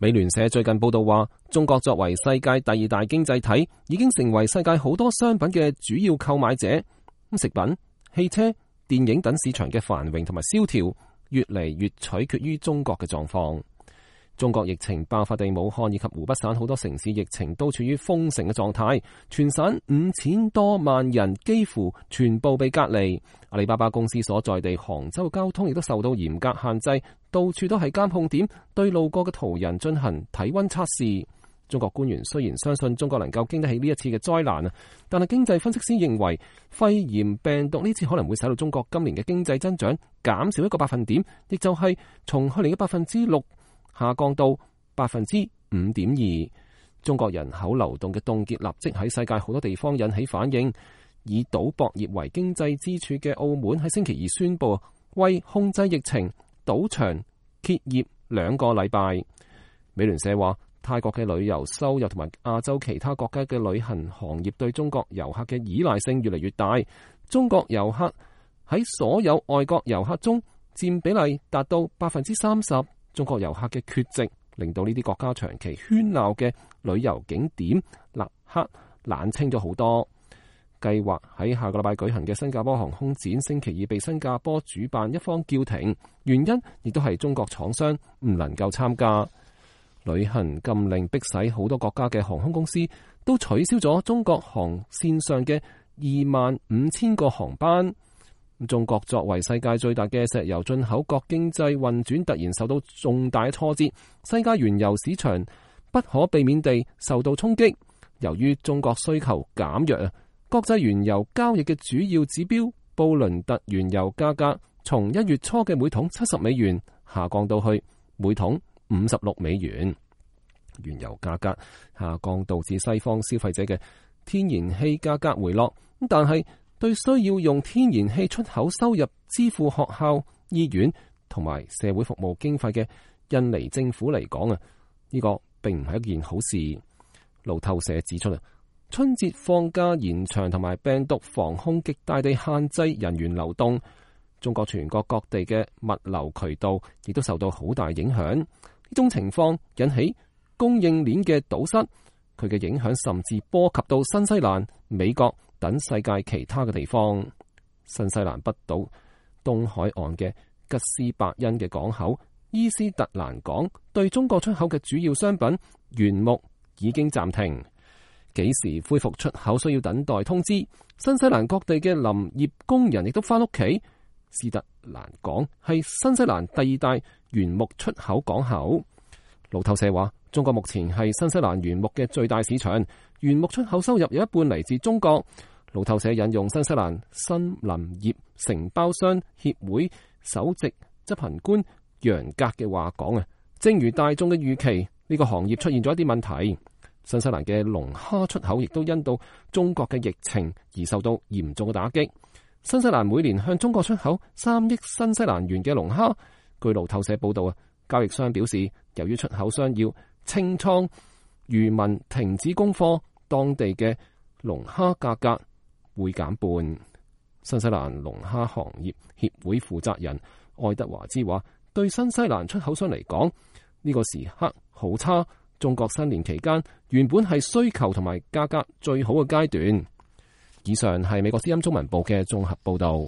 美聯社最近報道話，中國作為世界第二大經濟體，已經成為世界好多商品嘅主要購買者。食品、汽車、電影等市場嘅繁榮同埋蕭條，越嚟越取決於中國嘅狀況。中國疫情爆發地武漢以及湖北省好多城市疫情都處於封城嘅狀態，全省5000多萬人幾乎全部被隔離。阿里巴巴公司所在地杭州交通亦都受到嚴格限制，到處都係監控點，對路過嘅途人進行體溫測試。中國官員雖然相信中國能夠經得起呢一次嘅災難啊，但係經濟分析師認為肺炎病毒呢次可能會使到中國今年嘅經濟增長減少1個百分點，亦就係從去年嘅6%下降到5.2%。中國人口流動嘅凍結立即喺世界好多地方引起反應。以賭博業為經濟支柱嘅澳門喺星期二宣布，為控制疫情，賭場歇業2個禮拜。美聯社話，泰國嘅旅遊收入同埋亞洲其他國家嘅旅行行業對中國遊客嘅依賴性越嚟越大。中國遊客喺所有外國遊客中佔比例達到30%。中國遊客嘅缺席令到呢啲國家長期喧鬧嘅旅遊景點立刻冷清咗好多。計劃喺下個禮拜舉行嘅新加坡航空展星期二被新加坡主辦一方叫停，原因亦都係中國廠商唔能夠參加。旅行禁令迫使好多國家嘅航空公司都取消咗中國航線上嘅25000個航班。中國作為世界最大嘅石油進口國，經濟運轉突然受到重大挫折，世界原油市場不可避免地受到衝擊。由於中國需求減弱，國際原油交易嘅主要指標布倫特原油價格從1月初嘅每桶70美元下降到去每桶56美元。原油價格下降導致西方消費者嘅天然氣價格回落，但係對需要用天然氣出口收入支付學校、醫院同埋社會服務經費嘅印尼政府嚟講呢個並唔係一件好事。路透社指出春節放假延長同埋病毒防控極大地限制人員流動，中國全國各地嘅物流渠道亦都受到好大影響。呢種情況引起供應鏈嘅堵塞，佢嘅影響甚至波及到新西蘭、美國等世界其他嘅地方。新西蘭北島東海岸嘅吉斯伯恩嘅港口伊斯特蘭港對中國出口嘅主要商品原木已經暫停。幾時恢復出口需要等待通知。新西蘭各地嘅林業工人亦都翻屋企。斯特蘭港係新西蘭第2大原木出口港口。路透社話，中國目前係新西蘭原木嘅最大市場，原木出口收入有1半嚟自中國。路透社引用新西蘭森林業承包商協會首席執行官楊格嘅話講正如大眾嘅預期，呢個行業出現咗一啲問題。新西蘭嘅龍蝦出口亦都因到中國嘅疫情而受到嚴重嘅打擊。新西蘭每年向中國出口3億新西蘭元嘅龍蝦。據路透社報道交易商表示，由於出口商要清倉，漁民停止供貨，當地嘅龍蝦價格會減半。新西蘭龍蝦行業協會負責人愛德華茲話，對新西蘭出口商嚟講，呢個時刻好差。中國新年期間原本係需求同埋價格最好嘅階段。以上係美國之音中文部嘅綜合報道。